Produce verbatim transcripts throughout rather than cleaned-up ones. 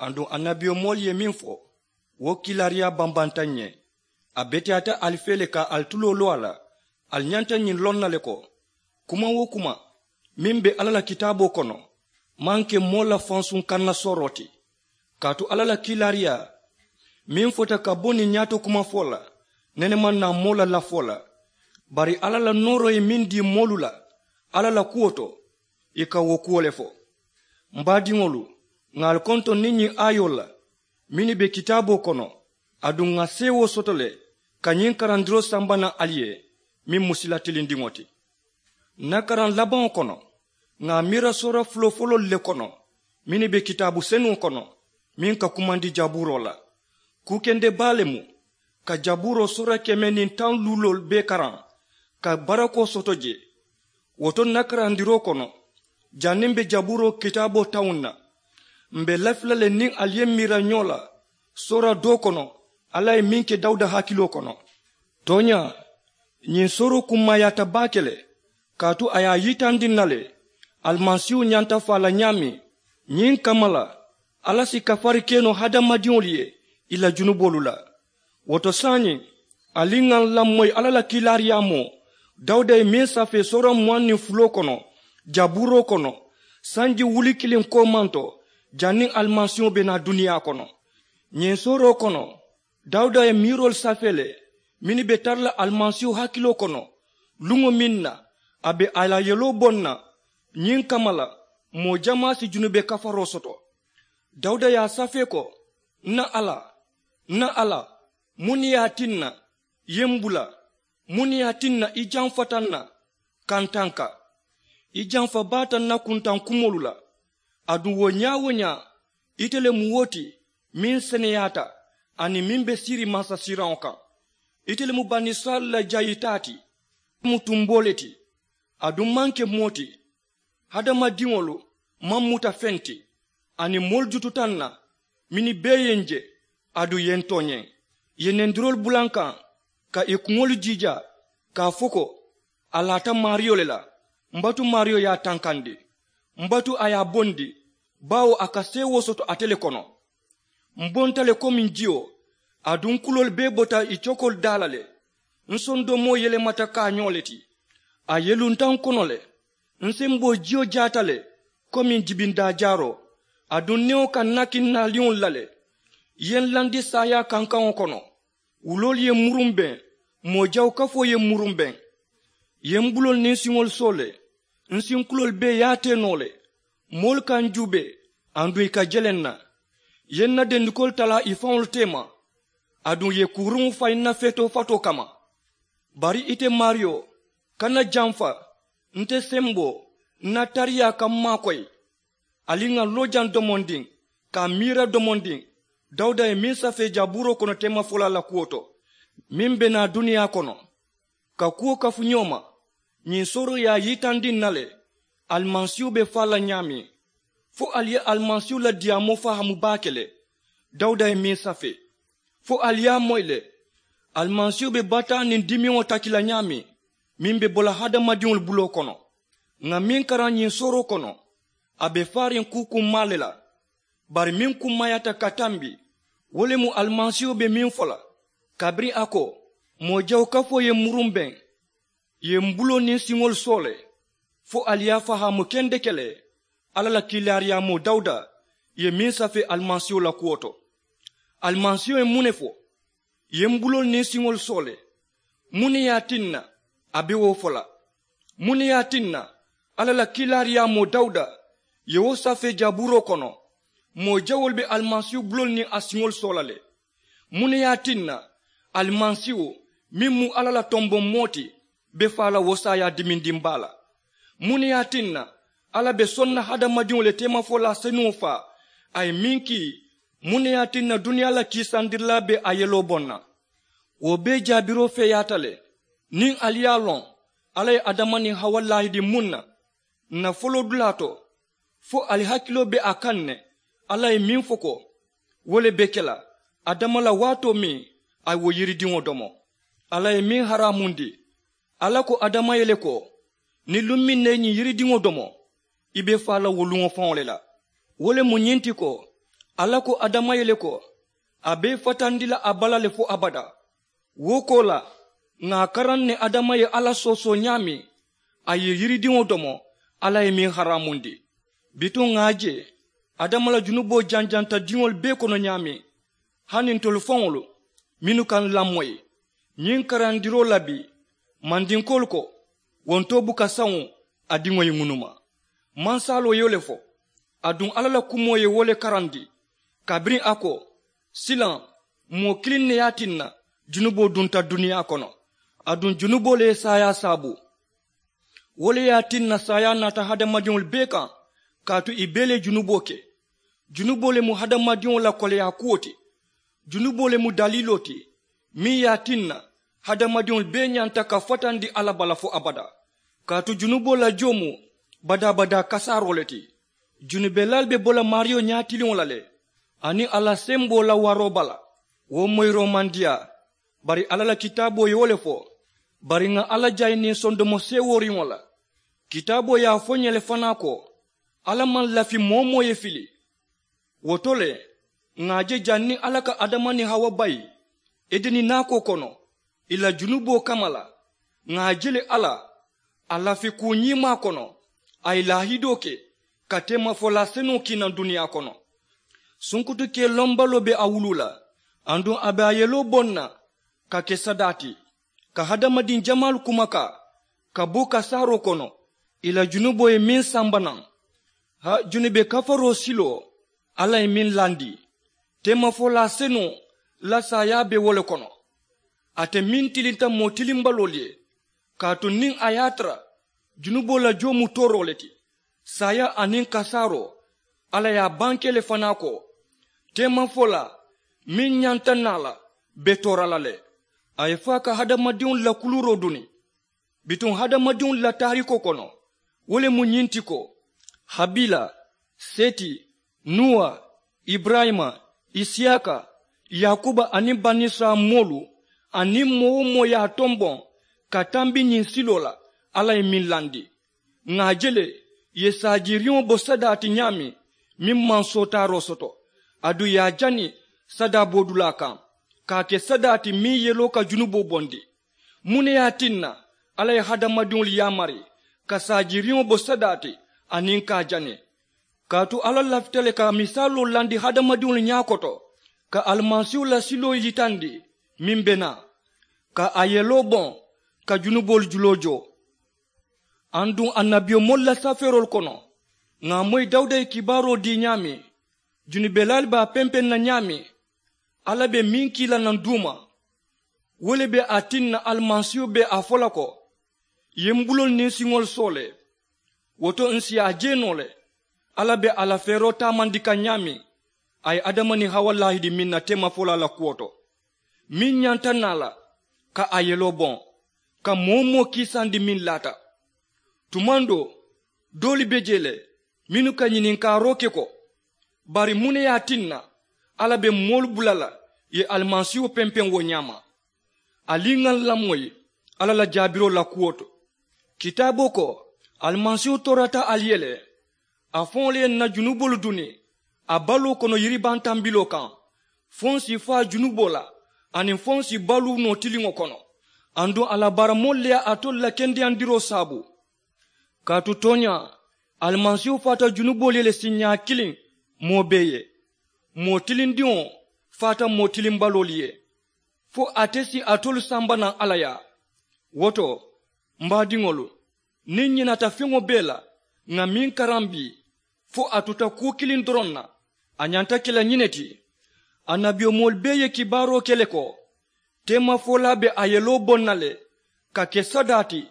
Aduŋ annabiyomoolu ye meŋ fo, wo kiilaariyaa bambanta ǹ ye. A beteyaata ali fee le ka ali tuloo loo a la. Ali ñanta ñiŋ loŋ na le ko, kuma wo kuma meŋ be alla la kitaaboo kono maŋ ke moo la fansuŋ kanna sooroo ti. Kaatu alla la kiilaariyaa meŋ fota ka bo niŋ ñaato kuma fo la, nene maŋ naa moo la lafoo la. Bari alla la nooroo ye meŋ dii moolu la alla la kuwo to, ì ka wo kuwo le fo. M baadiŋolu, ŋà ali kontoŋ niŋ ñiŋ aayoo la mennu be kitaaboo kono. Aduŋ ŋà seewoo soto le ka ñiŋ karandiroo samba naŋ ali ye, meŋ mu sila tilindiŋo ti. Ǹ na karaŋ labaŋo kono, ŋà a miira soora fulofuloolu le kono mennu be kitaabu senuŋo kono, meŋ ka kumandi jabuuroo la. Kuu kende baa le mu ka jabuuroo soora keme niŋ taŋ luuloolu bee karaŋ ka barakoo soto jee. Wo to ǹ na karandiroo kono, janniŋ m̀ be jabuuroo kitaaboo tawuŋ na, m̀ be lafi la le niŋ ali ye miira ñoo la soora doo kono alla ye meŋ ke dawuda hakiloo kono. Tooñaa, ñiŋ sooroo kummaayaata baake le, kaatu a ye a yitandi ǹ na le alimasiihu ñanta faa la ñaameŋ. Ñiŋ kamma la, alla si kafari ke noo hadamadiŋolu ye ì la junuboolu la. Wo to saayiŋ, ali ŋà ǹ lamoyi alla la kiilaariyaamoo dawuda ye meŋ safee soora muwaŋ niŋ fuloo kono jabuuroo kono, sanji wuli kiliŋ koomanto, janniŋ alimasiiho be naa duniyaa kono. Ñiŋ sooroo kono, dawuda ye miiroolu safee le mennu be tara la alimasiiho hakiloo kono, luŋo meŋ na a be a la yeloo boŋ na. Ñiŋ kamma la, moo jamaa si junube kafaroo soto. Dawuda ye a safee ko, ǹ na alla, ǹ na alla, muŋ ne ye a tinna i ye m bula? Muŋ ne ye a tinna i jamfata n na kantanka? I jamfa baata n na kuntaŋ kumoolu la. Aduŋ wo ñaa-wo-ñaa, ite le mu wo ti meŋ seneyaata aniŋ meŋ be siiriŋ mansasiiraŋo kaŋ. Ite le mu banisirayila la jayitaa ti. Ite mu tumboo le ti. Aduŋ maŋ ke moo ti. Hadamadiŋolu maŋ muta feŋ ti. Aniŋ moolu jututa n na mennu bee ye n je, aduŋ ì ye n tooñee. Ì ye nendiroolu bula n kaŋ ka ì kuŋolu jiijaa, ka a fo ko, a laata maariyo le la. M batu maariyo ye a tankandi. M batu a ye a bondi, baawo a ka seewoo soto ate le kono. M bonta le komiŋ jiyo, aduŋ n kuloolu bee bota ì cokoolu daa la le. N sondomoo yelemata kaañoo le ti. A yelunta n kono le. N semboo jiyo jaata le komiŋ jibindaa jaaroo. Aduŋ newo ka n nakiŋ naaliŋolu la le. Ì ye n landi saayaa kankaŋo kono. Wuloolu ye n muruŋ beŋ. Moo jawu kafoo ye n muruŋ beŋ. Ì ye m buloolu niŋ siŋolu soo le. N sinkuloolu bee ye a tee noo le. Moolu ka n juubee, aduŋ ì ka jele n na. Ì ye n na dendikoolu talaa ì faŋolu teema, aduŋ ì ye kuuruŋo fayi n na feetoo fatoo kamma. Bari ite maariyo, kana jamfa. Nte semboo, n na tariyaa ka m maakoyi. Ali ŋà loo jaŋ domondiŋ, ka a miira domondiŋ dawuda ye meŋ safee jabuuroo kono teemafolaa la kuwo to, meŋ be naa duniyaa kono. Ka kuwo kafu ñoo ma, ñiŋ sooroo ye a yitandi ǹ na le alimasiihu be faa la ñaameŋ. Fo ali ye alimasiihu la diyaamoo fahaamu baake le. Dawuda ye meŋ safee, fo ali ye a moyi le. Alimasiihu be bataa niŋ dimiŋo taki la ñaameŋ, meŋ be bo la hadamadiŋolu buloo kono. Ŋà meŋ karaŋ ñiŋ sooroo kono, a be faariŋ kuu kummaa le la. Bari meŋ kummaayaata ka tambi, wo le mu alimasiihu be meŋ fo la, kabiriŋ a ko, moo jawu kafoo ye m muruŋ beŋ. Ì ye m buloo niŋ siŋolu soo le. Fo ali ye a fahaamu kendeke le, alla la kiilaariyaamoo dawuda ye meŋ safee alimasiiho la kuwo to. Alimasiiho ye muŋ ne fo? Ì ye m buloolu niŋ siŋolu soo le. Muŋ ne ye a tinna a be wo fo la? Muŋ ne ye a tinna alla la kiilaariyaamoo dawuda ye wo safee jabuuroo kono? Moo jawoolu be alimasiihu buloolu niŋ a siŋolu soo la le. Muŋ ne ye a tinna alimasiihu meŋ mu alla la tomboŋ moo ti be faa la wo saayaa dimindiŋ baa la? Muŋ ne ye a tinna alla be soŋ na hadamadiŋo le teemafolaa senuŋo faa a ye meŋ kii? Muŋ ne ye a tinna duniyaa la kiisandirilaa be a yeloo boŋ na? Wo bee jaabiroo feeyaata le. Niŋ ali ye a loŋ alla ye adama niŋ hawa laahidi muŋ na ǹ na foloodulaa to, fo ali hakiloo be a kaŋ ne. Alla ye meŋ fo ko wo le be ke la adama la waatoo meŋ a ye wo yiridiŋo domo. Alla ye meŋ haraamundi, alla ko adama ye le ko niŋ luŋ meŋ na i ñiŋ yiridiŋo domo i be faa la wo luŋo faŋo le la. Wo le mu ñiŋ ti ko Alla ko adama ye le ko a be i fatandi la a bala le fo abadaa. Wo koolaa ŋà a karaŋ ne adama ye alla soosoo ñaameŋ a ye yiridiŋo domo alla ye meŋ haraamundi. Bituŋ ŋà a je adama la junuboo janjanta diŋolu bee kono ñaameŋ, hani ntolu faŋolu mennu ka n lamoyi ñiŋ karandiroo la bii, mandinkoolu ko wo ntoo buka saŋo a diŋo ye ŋunuma. Mansaaloo ye wo le fo aduŋ alla la kumoo ye wo le karandi. Kabiriŋ a ko silaŋ moo kiliŋ ne ye a tinna junuboo dunta duniyaa kono. Aduŋ junuboo le ye saayaa saabu. Wo le ye a tinna saayaa naata hadamadiŋolu bee kaŋ. Kaatu ì bee le ye junuboo ke. Junuboo le mu hadamadiŋo la koleyaa kuwo ti. Junuboo le mu daliiloo ti meŋ ye a tinna hadamadiŋolu bee ñanta ka fatandi alla bala fo abadaa. Kaatu junuboo la joo mu badaa-badaa kasaaroo le ti. Junubelaalu be bo la maariyo ñaatiliŋo la le aniŋ a la semboo la waroo bala. Wo moyiroo maŋ diyaa. Bari alla la kitaaboo ye wo le fo. Bari ŋà alla jayi niŋ sondomo seewooriŋo la. Kitaaboo ye a fo n ye le fanaa ko alla maŋ lafi moo-wo-moo ye fili. Wo to le ŋà a je janniŋ alla ka adama niŋ hawa bayi edeni naakoo kono ì la junuboo kamma la. Ŋà a je le alla a lafi kuu ñiimaa kono a ye laahidoo ke ka teemafolaa senuŋo kii naŋ duniyaa kono. Sunkutu kee lombaloo be a wuluu la aduŋ a be a yeloo boŋ na ka ke sadaa ti ka hadamadiŋ jamaalu kumakaa ka bo kasaaroo kono ì la junuboo ye meŋ samba naŋ. Haa junube kafaroo siloo alla ye meŋ landi teemafolaa senuŋo la saayaa be wo le kono. Ate meŋ tilinta moo tilimbaloolu ye kaatu niŋ a ye a tara junuboo la joo mu tooroo le ti. Saayaa aniŋ kasaaroo alla ye a bankee le fanaa ko teemafolaa meŋ ñanta naa la be toora la le. A ye faa ka hadamadiŋolu la kuluuroo duni. Bituŋ hadamadiŋolu la taariikoo kono wo le mu ñiŋ ti ko habiila, seti, nuwa, iburayima, isiyaaka, yaakuba aniŋ banisirayila moolu aniŋ moo-wo-moo ye a tomboŋ ka tambi ñiŋ siloo la alla ye meŋ landi. Ŋà a je le ì ye saajiiriŋo bo sadaa ti ñaameŋ meŋ maŋ sootaaroo soto aduŋ ì ye a jani sadaa boodulaa kaŋ ka a ke sadaa ti meŋ yeloo ka junuboo bondi. Muŋ ne ye a tinna alla ye hadamadiŋolu yaamari ka saajiiriŋo bo sadaa ti aniŋ ka a jani? Kaatu alla lafita le ka misaaloo landi hadamadiŋolu ñaa koto ka alimasiihu la siloo yitandi meŋ be naa ka a yeloo boŋ ka junuboolu juloo joo. Aduŋ annabiyomoolu la safeeroolu kono ŋà a moyi dawuda ye kibaaroo dii ñaameŋ junubelaalu be a pempeŋ na ñaameŋ alla be meŋ kii la naŋ duuma. Wo le be a tinna alimasiihu be a fo la ko ì ye m buloolu niŋ siŋolu soo le. Wo to ǹ si a je noo le alla be a la feeroo taamandi kaŋ ñaameŋ a ye adama niŋ hawa laahidi meŋ na teemafolaa la kuwo to meŋ ñanta naa la ka a yeloo boŋ ka moo-wo-moo kiisandi meŋ laata. Tumaŋ doo doolu be jee le mennu ka ñininkaaroo ke ko bari muŋ ne ye a tinna alla be moolu bula la ì ye alimasiihu pempeŋ wo ñaama? Ali ŋà ǹ lamoyi alla la jaabiroo la kuwo to. Kitaaboo ko alimasiihu toorata ali ye le a faŋo le ye ǹ na junuboolu duni a baloo kono yiribantambiloo kaŋ fo ǹ si faa junuboo la aniŋ fo ǹ si baluu noo tiliŋo kono. Aduŋ a la baaramoolu le ye alitolu la kendeyandiroo saabu. Kaatu tooñaa alimasiihu faata junuboolu ye le siiñaa kiliŋ moo bee ye. Moo tilindiŋo faata moo tilimbaloolu ye fo ate si alitolu samba naŋ alla yaa. Wo to m baadiŋolu niŋ ǹ ñinaata feŋo bee la ŋà meŋ karaŋ bii fo a tuta kuu kiliŋ doroŋ na a ñanta ke la ñiŋ ne ti. Annabiyomoolu bee ye kibaaroo ke le ko teemafolaa be a yeloo boŋ na le ka ke sadaa ti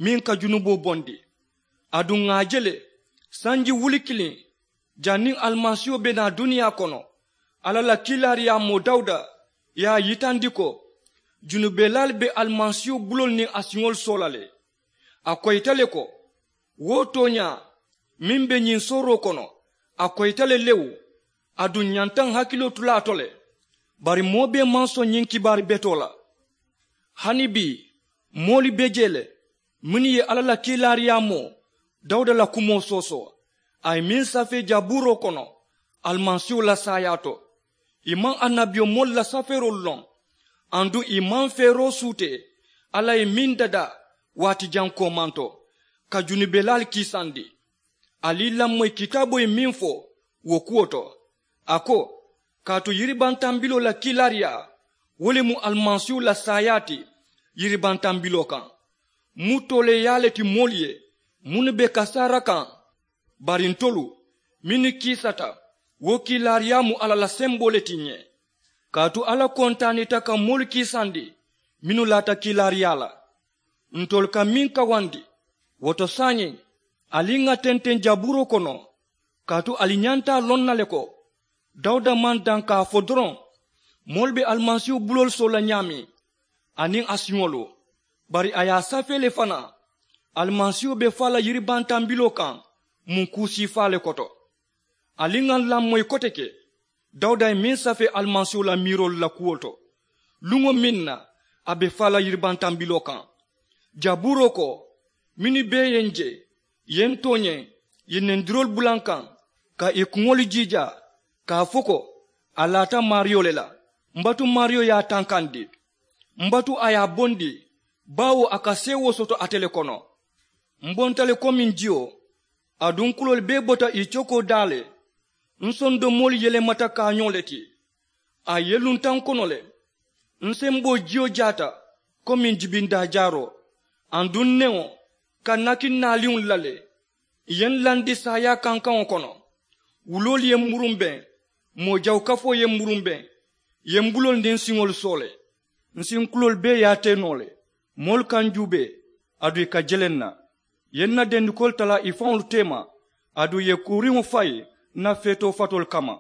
meŋ ka junuboo bondi. Aduŋ ŋà a je le sanji wuli kiliŋ janniŋ alimasiiho be naa duniyaa kono alla la kiilaariyaamoo dawuda ye a yitandi ko junubelaalu be alimasiiho buloolu niŋ a siŋolu soo la le. A koyita le ko wo tooñaa meŋ be ñiŋ sooroo kono a koyita le lewu. Aduŋ ǹ ñanta ǹ hakiloo tu la a to le. Bari moo bee maŋ soŋ ñiŋ kibaari betoo la. Hani bii moolu be jee le mennu ye alla la kiilaariyaamoo dawuda la kumoo soosoo a ye meŋ safee jabuuroo kono alimasiiwo la saayaa to. Ì maŋ annabiyomoolu la safeeroolu loŋ. Aduŋ ì maŋ feeroo suutee alla ye meŋ dadaa waati jaŋ koomanto ka junubelaalu kiisandi. Ali i lamoyi kitaaboo ye meŋ fo wo kuwo to, a ko, kaatu yiribantambiloo la kiilaariyaa wo le mu alimasiiwo la saayaa ti yiribantambiloo kaŋ. Mu tooleeyaa le ti moolu ye mennu be kasaara kaŋ. Bari ntolu mennu kiisata wo kiilaariyaa mu alla la semboo le ti ǹ ye. Kaatu alla kontaanita ka moolu kiisandi mennu laata kiilaariyaa la. Ntolu ka meŋ kawandi wo to saayiŋ, ali ŋà tenteŋ jabuuroo kono. Kaatu ali ñanta a loŋ na le ko dawuda maŋ daŋ ka a fo doroŋ moolu be alimasiihu buloolu soo la ñaameŋ aniŋ a siŋolu. Bari a ye a safee le fanaa alimasiihu be faa la yiribantambiloo kaŋ. Mu kuu siifaa le koto. Ali ŋà lamoyi kote ke dawuda ye meŋ safee alimasiihu la miiroolu la kuwo to luŋo meŋ na a be faa la yiribantambiloo kaŋ. Jabuuroo ko, mennu bee ye ǹ je ì ye ǹ tooñee ì ye nendiroolu bula ǹ kaŋ ka ì kuŋolu jiijaa ka a fo ko a laata maariyo le la. M batu maariyo ye a tankandi. M batu a ye a bondi baawo a ka seewoo soto ate le kono. M bonta le komiŋ jiyo. Aduŋ kuloolu bee bota ì cokoo daa le. N sondomoolu yelemata kaañoo le ti. A yelunta n kono le. N semboo jiyo jaata komiŋ jibindaa jaaroo. Aduŋ newo ka nakiŋ naaliŋolu la le. Ì ye n landi saayaa kankaŋo kono. Wuloolu ye n murumbeŋ. Moo jawu kafoo ye n murumbeŋ. Ì ye n buloolu niŋ n siŋolu soo le. N sinkuloolu bee ye a tee noo le. Moolu ka n juubee aduŋ ì ka jeleŋ n na. Ì ye n na dendikoolu talaa ì faŋolu teema. Aduŋ ì ye kuuriŋo fayi n na feetoo fatoolu kamma.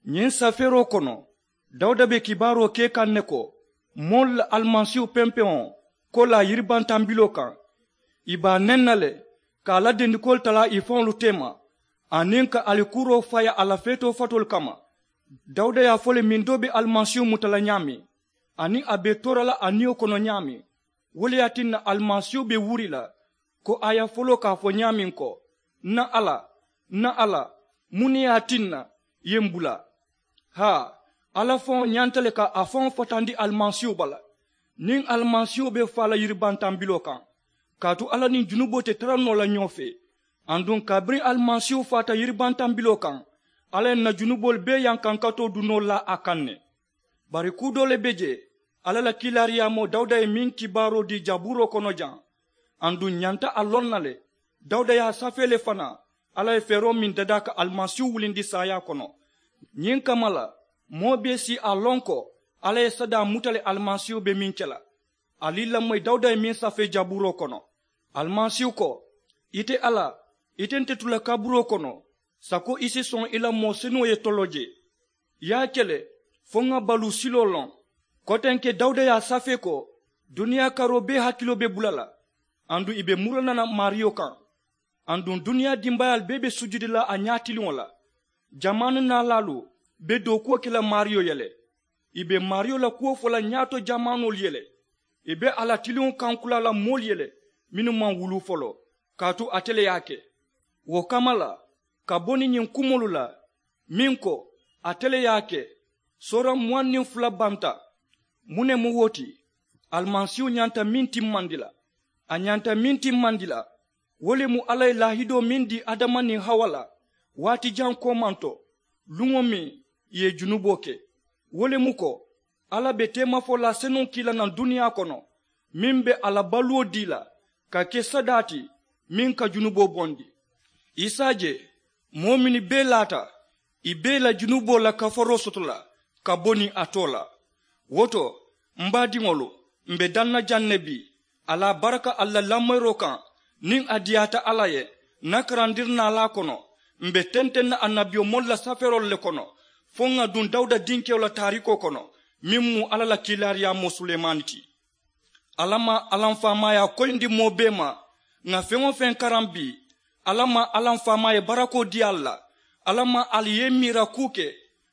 Ñiŋ safeeroo kono dawuda be kibaaroo ke kaŋ ne ko moolu la alimasiihu pempeŋo koolaa yiribantambiloo kaŋ. Ì be a neŋ na le ka a la dendikoolu talaa ì faŋolu teema aniŋ ka alikuuroo fayi a la feetoo fatoolu kamma. Dawuda ye a fo le miŋ doo be alimasiihu muta la ñaameŋ aniŋ a be toora la a niyo kono ñaameŋ. Wo le ye a tinna alimasiihu be wuri la ko a ye a foloo ka a fo ñaameŋ ko, n na alla, n na alla, muŋ ne ye a tinna ì ye m bula? Haa, alla faŋo ñanta le ka a faŋo fatandi alimasiihu bala. Niŋ alimasiihu be faa la yiribantambiloo kaŋ kaatu alla niŋ junuboo te tara noo la ñoo fee. Aduŋ kabiriŋ alimasiihu faata yiribantambiloo kaŋ alla ye n na junuboolu bee yankankatoo dunoo laa a kaŋ ne. Bari kuu doo le be jee alla la kiilaariyaamoo dawuda ye meŋ kibaaroo dii jabuuroo kono jaŋ. Aduŋ ǹ ñanta a loŋ na le dawuda ye a safee le fanaa alla ye feeroo meŋ dadaa ka alimasiihu wulindi saayaa kono. Ñiŋ kamma la moo bee si a loŋ ko alla ye sadaa muta le alimasiihu be meŋ ke la. Ali i lamoyi dawuda ye meŋ safee jabuuroo kono. Alimasiihu ko, ite alla, ite nte tu la kaburoo kono sako i si soŋ i la moo senuŋo ye toloo jee. Ì ye a ke le fo ŋà baluu siloo loŋ. Kotenke dawuda ye a safee ko duniyaa karoo bee hakiloo be bula la. Aduŋ ì be muruna la maariyo kaŋ. Aduŋ duniyaa dimbayaalu bee be sujudi la a ñaatiliŋo la. Jamaanu naalaalu be dookuwo ke la maariyo ye le. Ì be maariyo la kuwo fo la ñaato jamaanoolu ye le. Ì be a la tiliŋo kankulaa la moolu ye le mennu maŋ wuluu foloo. Kaatu ate le ye a ke. Wo kamma la ka bo niŋ ñiŋ kumoolu la meŋ ko ate le ye a ke. Soora muwaŋ niŋ fula banta. Muŋ ne mu wo ti? Alimasiihu ñanta meŋ timmandi la a ñanta meŋ timmandi la wo le mu alla ye laahidoo meŋ dii adama niŋ hawa la waati jaŋ koomanto luŋo meŋ ì ye junuboo ke. Wo le mu ko alla be teemafolaa senuŋo kii la naŋ duniyaa kono meŋ be a la baluwo dii la ka ke sadaa ti meŋ ka junuboo bondi. I si a je moo mennu bee laata ì bee la junuboo la kafaroo soto la ka bo niŋ a too la. Wo to m baadiŋolu, m be daŋ na jaŋ ne bii. Alla baraka ali la lamoyiroo kaŋ niŋ a diyaata alla ye. N na karandiri naalaa kono m be tenteŋ na annabiyomoolu la safeeroolu le kono fo ŋà duŋ dawuda dinkewo la taariikoo kono meŋ mu alla la kiilaariyaamoo sulemaani ti. Alla maŋ alamfaamaayaa koyindi moo bee ma ŋà feŋ-wo-feŋ karaŋ bii. Alla maŋ alamfaamaa ye barakoo dii ali la. Alla maŋ ali ye i miira kuu ke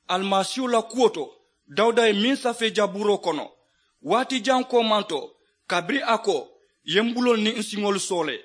alimasiihu la kuwo to dawuda ye meŋ safee jabuuroo kono waati jaŋ koomanto kabiriŋ a ko ì ye m buloolu niŋ n siŋolu soole.